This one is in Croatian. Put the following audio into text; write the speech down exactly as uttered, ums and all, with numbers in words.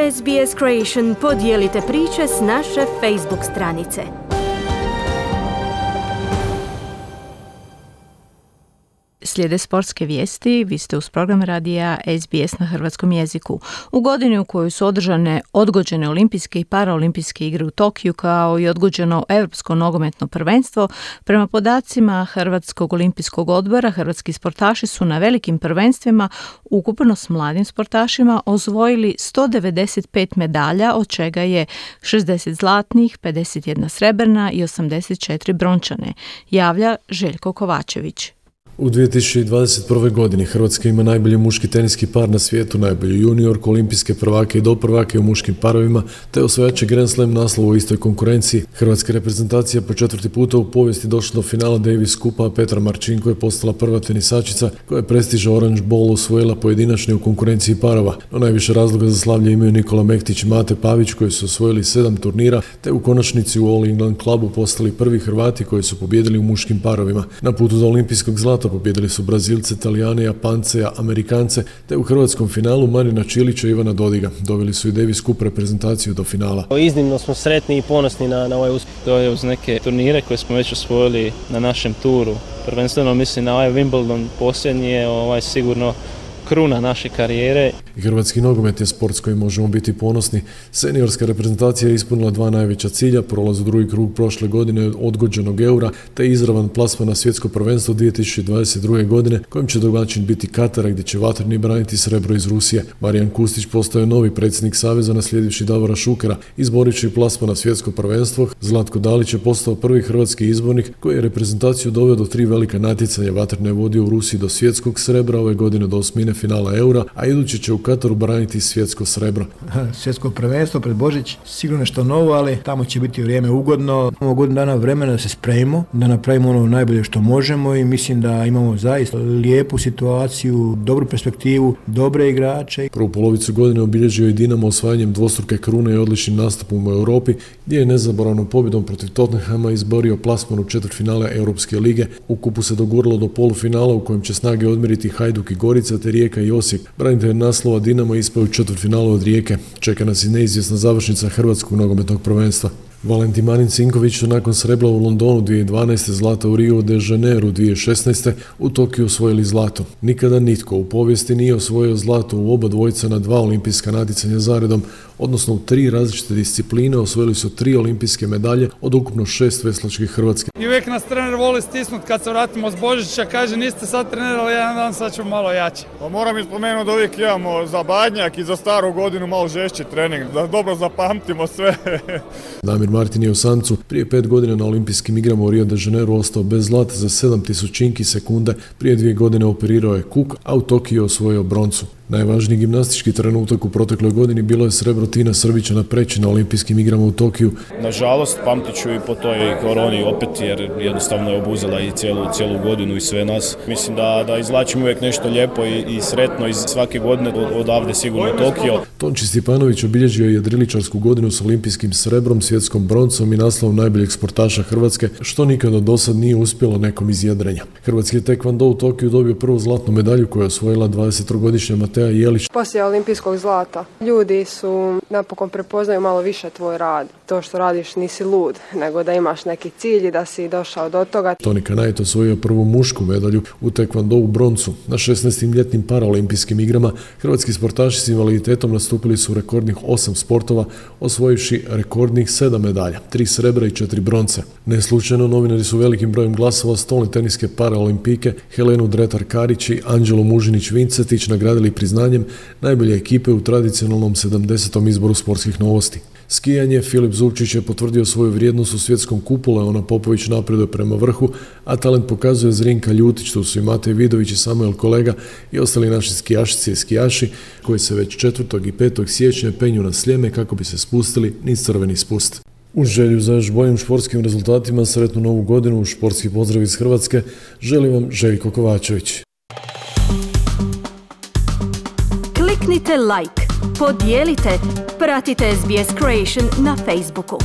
S B S Creation podijelite priče s naše Facebook stranice. Slijede sportske vijesti, vi ste uz program radija S B S na hrvatskom jeziku. U godini u kojoj su održane odgođene olimpijske i paraolimpijske igre u Tokiju kao i odgođeno europsko nogometno prvenstvo, prema podacima Hrvatskog olimpijskog odbora, hrvatski sportaši su na velikim prvenstvima ukupno s mladim sportašima osvojili sto devedeset pet medalja, od čega je šezdeset zlatnih, pedeset jedna srebrna i osamdeset četiri brončane, javlja Željko Kovačević. U dvije tisuće dvadeset prve. godini Hrvatska ima najbolji muški teniski par na svijetu, najbolju juniorku, olimpijske prvake i doprvake u muškim parovima, te osvajače Grand Slam naslova u istoj konkurenciji. Hrvatska reprezentacija po četvrti puta u povijesti došla do finala Davis Kupa, a Petra Marčinko je postala prva tenisačica koja je prestiža Orange Bowl osvojila pojedinačni u konkurenciji parova. No najviše razloga za slavlje imaju Nikola Mektić i Mate Pavić koji su osvojili sedam turnira, te u konačnici u All England klubu postali prvi Hrvati koji su pobijedili u muškim parovima. Na putu do olimpijskog zlata pobijedili su Brazilce, Talijane, Japance, Amerikance, te u hrvatskom finalu Marina Čilića i Ivana Dodiga. Doveli su i Davis Cup reprezentaciju do finala. Iznimno smo sretni i ponosni na, na ovaj uspjeh. To je uz neke turnire koje smo već osvojili na našem turu. Prvenstveno mislim na ovaj Wimbledon posljednji je ovaj sigurno kruna naše karijere. Hrvatski nogomet je sport s kojim možemo biti ponosni. Seniorska reprezentacija je ispunila dva najveća cilja, prolaz u drugi krug prošle godine od odgođenog eura, te izravan plasman na svjetsko prvenstvo dvije tisuće dvadeset druge. godine, kojim će domaćin biti Katara, gdje će vatreni braniti srebro iz Rusije. Marijan Kustić postao je novi predsjednik saveza naslijedivši Davora Šukera, izborići plasman na svjetsko prvenstvo. Zlatko Dalić je postao prvi hrvatski izbornik koji je reprezentaciju doveo do tri velika natjecanja. Vatreno je vodio u Rusiji do svjetskog srebra, ove godine do osmine finala eura, a idući će u Kataru braniti svjetsko srebro. Svjetsko prvenstvo pred Božić, sigurno nešto novo, ali tamo će biti vrijeme ugodno. Imamo godinu dana vremena da se spremimo, da napravimo ono najbolje što možemo i mislim da imamo zaista lijepu situaciju, dobru perspektivu, dobre igrače. Prvu polovicu godine obilježio je Dinamo osvajanjem dvostruke krune i odličnim nastupom u Europi, gdje je nezaboravnom pobjedom protiv Tottenhama izborio plasman u četvrtfinale Europske lige. U kupu se doguralo do polufinala u kojem će snage odmjeriti Hajduk i Gorica, te Rijeka i Osijek. Branitelj naslova Dinamo ispao u četvrtfinalu od Rijeke. Čeka nas i neizvjesna završnica hrvatskog nogometnog prvenstva. Valentin Marin Cinković su nakon srebra u Londonu dvije tisuće dvanaeste, zlata u Rio de Janeiro dvije tisuće šesnaeste, u Tokiju osvojili zlato. Nikada nitko u povijesti nije osvojio zlato u oba dvojica na dva olimpijska natjecanja zaredom, odnosno u tri različite discipline osvojili su tri olimpijske medalje od ukupno šest veslačkih Hrvatske. I uvijek nas trener voli stisnut kad se vratimo s Božića, kaže niste sad trenirali jedan dan, sad ćemo malo jače. Pa moram ispomenuti da uvijek imamo za Badnjak i za staru godinu malo žešći trening, da dobro zapamtimo sve. Damir Martin je u samcu prije pet godina na olimpijskim igrama u Rio de Janeiro ostao bez zlata za sedam tisućinki sekunde, prije dvije godine operirao je kuk, a u Tokiju osvojio broncu. Najvažniji gimnastički trenutak u protekloj godini bilo je srebro Tina Srbića na Preći na olimpijskim igrama u Tokiju. Nažalost, pamtit ću i po toj koroni opet, jer jednostavno je obuzela i cijelu, cijelu godinu i sve nas. Mislim da, da izvlačimo uvijek nešto lijepo i, i sretno iz svake godine odavde sigurno Tokio. Tonči Stipanović obilježio je jedriličarsku godinu s olimpijskim srebrom, svjetskom broncom i naslovom najboljeg sportaša Hrvatske, što nikada do sad nije uspjelo nekom iz jedrenja. Hrvatski je tekvando u Tokiju dobio prvu zlatnu medalju koju je osvojila dvadesettrogodišnja Matea Jelić. Poslije olimpijskog zlata ljudi su napokon prepoznaju malo više tvoj rad. To što radiš nisi lud, nego da imaš neki cilj i da si došao do toga. Toni Kanajt osvojio prvu mušku medalju u tekvandou broncu. Na šesnaestim ljetnim paraolimpijskim igrama hrvatski sportaši s invaliditetom nastupili su u rekordnih osam sportova, osvojivši rekordnih sedam medalja, tri srebra i četiri bronce. Neslučajno novinari su velikim brojem glasova stolne teniske paraolimpijke Helenu Dretar-Karić i Anđelo Mužinić-Vincetić nagradili priznanjem najbolje ekipe u tradicionalnom sedamdesetom izboru sportskih novosti. Skijanje, Filip Zupčić je potvrdio svoju vrijednost u svjetskom kupu, Leona Popović napreduje prema vrhu, a talent pokazuje Zrinka Ljutić, tu su i Matej Vidović i Samuel Kolega i ostali naši skijašice i skijaši koji se već četvrtog i petog siječnja penju na Sljeme kako bi se spustili niz crveni spust. Uz želju za još boljim športskim rezultatima, sretnu novu godinu, športski pozdrav iz Hrvatske, želim vam Željko Kovačević. Kliknite like, podijelite, pratite S B S Creation na Facebooku.